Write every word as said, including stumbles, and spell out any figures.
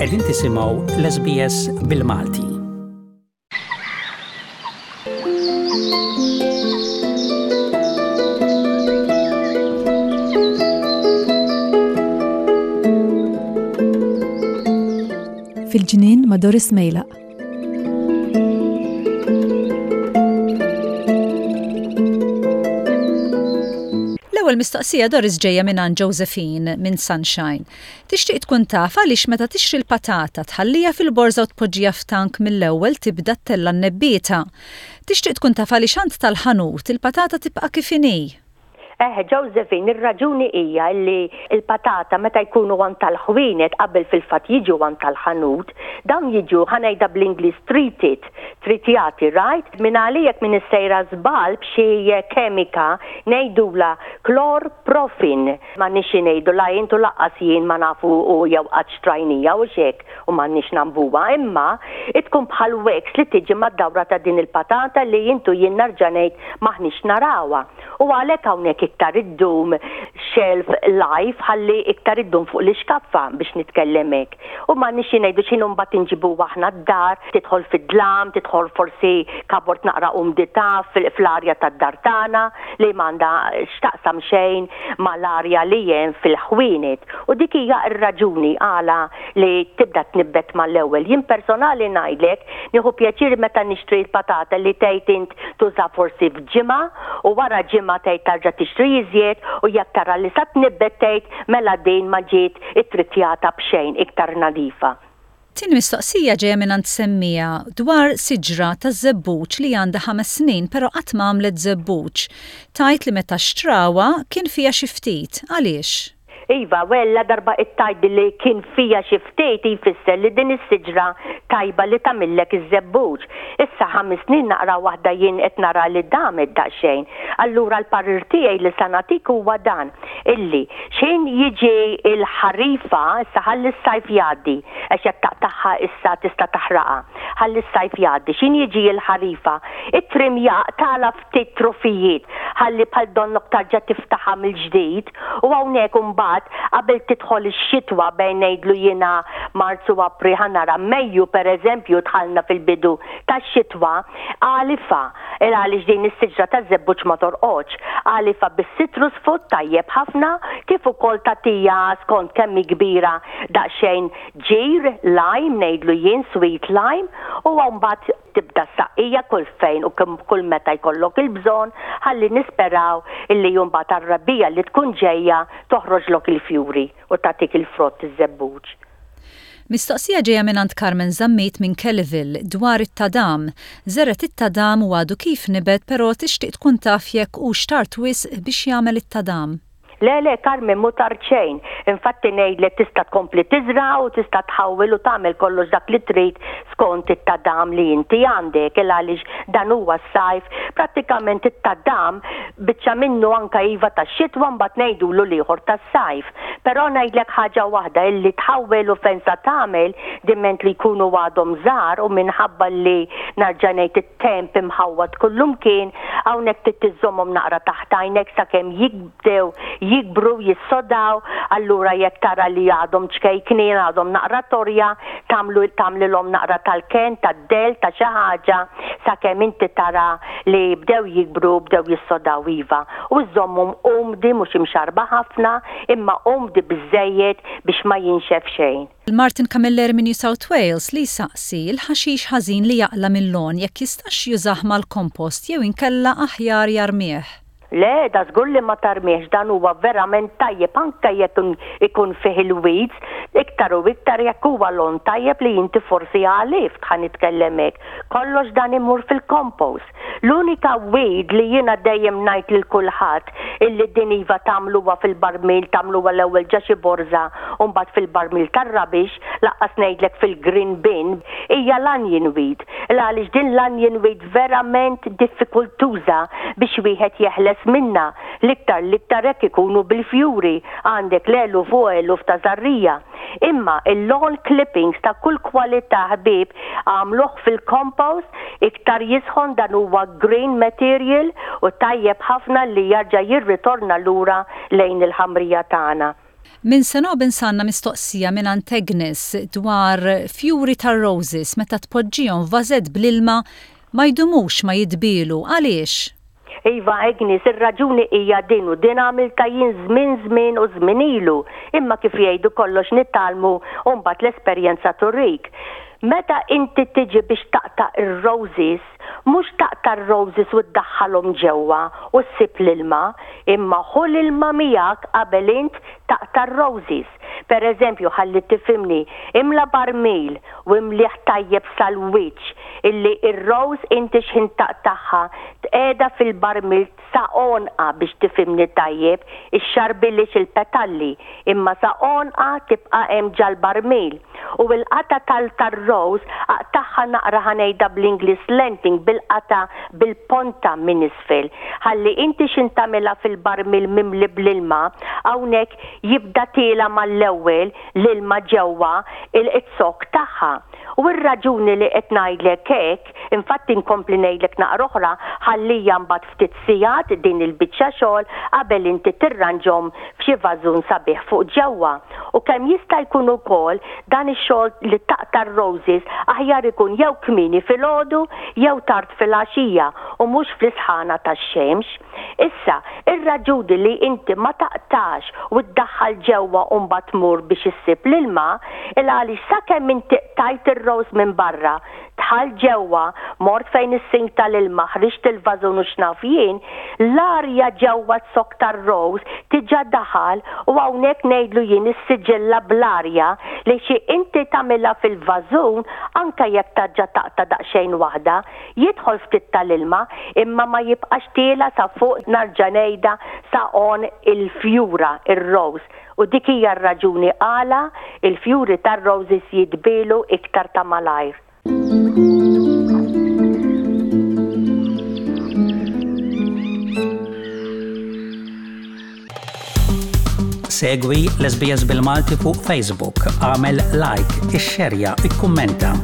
Qegħdin tisimgħu l-S B S bil-Malti. Fil-ġnien ma' Doris Mejlaq. L-ewwel mistoqsija, Doris, ġejja minn għand Josephine minn Sunshine. Tixtieq tkun taf għaliex meta tixtri l-patata, tħallija fil-borża u tpoġġiha f'tank, mill-ewwel tibda ttella' n-nebbieta. Tixtieq tkun taf għaliex għand tal-ħanut il-patata tibqa' kif inhi. Eh, Josephine, ir-raġuni hija li il-patata meta jkunu għand tal-ħwienet, qabel fil-fatt jiġu għand tal-ħanut, dawn jiġu, ħa ngħidha bl-Ingliż, treated, tritjati, right? Min għalijek minn sejra żball b'xi kemika ngħidula chlorprofin. Ma nix ngħidu la intu lanqas jien ma nafu u jew qatt xtrajnija u xek u ma nix nambuha, imma tkun bħal wax li tiġi mad-dawra ta' din il-patata li intu jien nerġa' ngħid m'aħniex narawha. U għalhekk hawnhekk iktar iddum shelf life, ħalli iktar iddum fuq l-iskaffa, biex nitkellem hekk. U ma nix ngħidu x'inhu mbagħad inġibu aħna d-dar, tidħol fid-dlam, tidħol forsi cupboard naqra umdità fl-arja tad-dar tagħna li m'għandha x'taqsam xejn mal-arja li hemm fil-ħwienet. U dik hija r-raġuni għala li tibda tnibbet mal-ewwel. Jien personali ngħidlek nieħu pjaċir meta nixtri l-patata li tgħid int tuża forsi f'ġimgħa u wara ġimgħa tgħid tarġa' tixtri iżjed, u jekk tara li sa tnibbet tgħid mela din ma ġiet ittritjata b'xejn, iktar nadifa. Tieni mistoqsija ġejja minn għand semmija dwar siġra ta' żebbuġ li għandha ħames snin però qatt ma għamlet żebbuġ. Tgħid li meta xtrawha kien fiha xi ftit. Għaliex? Iva, wella darba it-tajt li kien fija xi ftit jfisser li din is-siġra tajba li tagħmillek iż-żebbuġ. Issa ħames snin naqra waħda jien qed nara li damet daqsxejn. Allura l-parir tiegħi li sa nagħtik huwa dan, illi xejn jiġi il-ħarifa, issa ħalli s-sajf jgħaddi, għax jekk taqtagħha issa tista' taħraqha. Ħalli s-sajf jgħaddi, x'ħin jiġi il-ħarifa, it-trimja tala ftit trufijiet, ħalli bħal donnok tarġa' tiftaħha mill-ġdid, u hawnhekk imbagħad qabel tidħol ix-xitwa, bejn ngħidlu jiena Marzu, April, ħa nara Mejju pereżempju, dħalna fil-bidu tax-xitwa, għalifha, il għaliex din is-siġra taż-żebbuġ ma torqodx. Għalifha bis-citrus food tajjeb ħafna, kif ukoll tagħtiha, skont kemm hi kbira, daqsxejn ġir, lime ngħidlu jien, sweet lime, u mbagħad tibda saqqija kull fejn u kull meta jkollok il-bżonn, ħalli nisperaw illi mbagħad għar-rebbiegħa li tkun ġejja toħroġlok il-fjuri u tagħtik il-frott iż-żebbuġ. Mistoqsija ġejja minn għand Carmen Zammit minn Kellyville dwar it-tadam. Żergħet it-tadam u għadu kif nibet, però tixtieq tkun taf jekk hux tard wisq biex jagħmel it-tadam. Le, le, Carmen, mhu tard xejn. Infatti ngħidlek tista' tkompli tiżra' u tista' tħawwel u tagħmel kollox dak li trid skont it-tadam li inti għandek, il għaliex dan huwa s-sajf. Prattikament it-tadam biċċa minnu anka iva tax-xitwa, mbagħad ngħidulu l-ieħor tas-sajf. Però ngħidlek ħaġa waħda, illi tħawwel u fejn sa tagħmel diment li jkunu għadhom żgħar, u minħabba li nerġa' ngħid it-temp imħawwad kullumkien, hawnhekk trid tiżommhom naqra taħt għajnek sakemm jibdew jikbru, jissodaw. Allura jekk tara li għadhom ċkejknin, għadhom naqra torja, tagħmlu tagħmlilhom naqra tal-ken, tad-del, ta' xi ħaġa, sakemm inti tara li bdew jikbru, bdew jissodaw, iva. U żommhom umdi, mhux imxarba ħafna, imma umdi biżejjed biex ma jinxef xejn. Martin Camilleri minn New South Wales li saqsi il-ħaxix ħażin li jaqla mill-lawn jekk jistax jużah mal-kompost jew inkella aħjar jarmih. Le, da żgur li ma tarmiex, dan huwa verament tajjeb anke jekk ikun fih il-weeds, iktar u iktar jekk huwa lawn tajjeb li inti forsi għalift, ħa nitkellem hekk. Kollox dan imur fil-compost. L-unika weed li jiena dejjem ngħid lil kulħadd illi din iva tagħmluha fil-barmil, tagħmluha l-ewwel ġo xi borża u mbagħad fil-barmil tar-rubbish, lanqas ngħidlek fil-green bin, hija l-onion weed. Għaliex din l-onion weed verament diffikultuża biex wieħed jeħles minna, l-iktar l-iktar jekk ikunu bil-fjuri, għandek l-eluf u eluf ta' żarrija. Imma il-lawn clippings ta' kull kwalità, ħbib, għamluh fil-compost, iktar jisħon, dan huwa green material u tajjeb ħafna li jarġa' jirritorna lura lejn il-ħamrija tagħna. Minn Senob insanna mistoqsija minn Agnes dwar fjuri tar-roses meta tpoġġihom f'vażett bl-ilma ma jdumux ma jitbielu. Għaliex? Iva Agnes, ir-raġuni hija din u din għamilta jien żmien żmien u żmien ilu, imma kif jgħidu kollox nitgħallmu u mbagħad l-esperjenza turik. Meta inti tiġi biex taqta' ir-roses, mhux taqta' r-roses u ddaħħalhom ġewwa u ssib l-ilma, imma ħu l-ilma miegħek qabel int taqta' r-roses. Per eżempju, ħalli tifhimni, imla barmil u imlieh tajjeb sal-wiċċ illi ir-rose inti x'ħin taqtagħha tqiegħda fil-barmil sa għonqha biex tifhimni tajjeb, ixxarbilix il-petalli, imma sa għonqha tibqa' hemm ġal-barmil. U l-qata tal-rose aqtagħha naqra ħa ngħidha bl-Ingliż slanting bil-qata bil-ponta minn isfel. Ħalli inti x'ħin tagħmilha fil-barmil mimli bl-ilma, hawnhekk jibda tiela mal-ewwel l-ilma ġewwa il-zokk tagħha. U r-raġuni li qed ngħidlek hekk, infatti nkompli ngħidlek naqra oħra, ħallija mbagħad ftit sigħat din il-biċċa xogħol qabel inti tirranġhom f'xi vażun sabiħ fuq ġewwa. U kemm jista' jkun ukoll dan ix-xogħol li taqta' r-roses aħjar ikun jew kmieni filgħodu jew tard filgħaxija u mhux fl-isħana tax-xemx. Issa, ir-raġuni li inti ma taqtax u ddaħħal ġewwa u mbagħad tmur biex issib l-ilma, il għaliex sakemm inti qtajt ir-rose minn barra, dħalt ġewwa, mort fejn is-sink tal-ilma, ħriġt il-vażun u x'naf jien, l-arja ġewwa z-zokk tar-rose diġà daħal u hawnhekk ngħidlu jien is-siġilla bl-arja li xi inti tagħmilha fil-vażun anke jekk tarġa' taqta' daqsxejn waħda, jidħol ftit tal-ilma imma ma jibqax tiela sa fuq narġa' ngħidha sa għonq il-fjura, ir-rose. U dik hija r-raġuni għala il-fjuri tar-roses jitbielu iktar ta' malajr. Segwi l-SBS bil-Malti fuq Facebook, agħmel like, ixxerja, ikkummenta.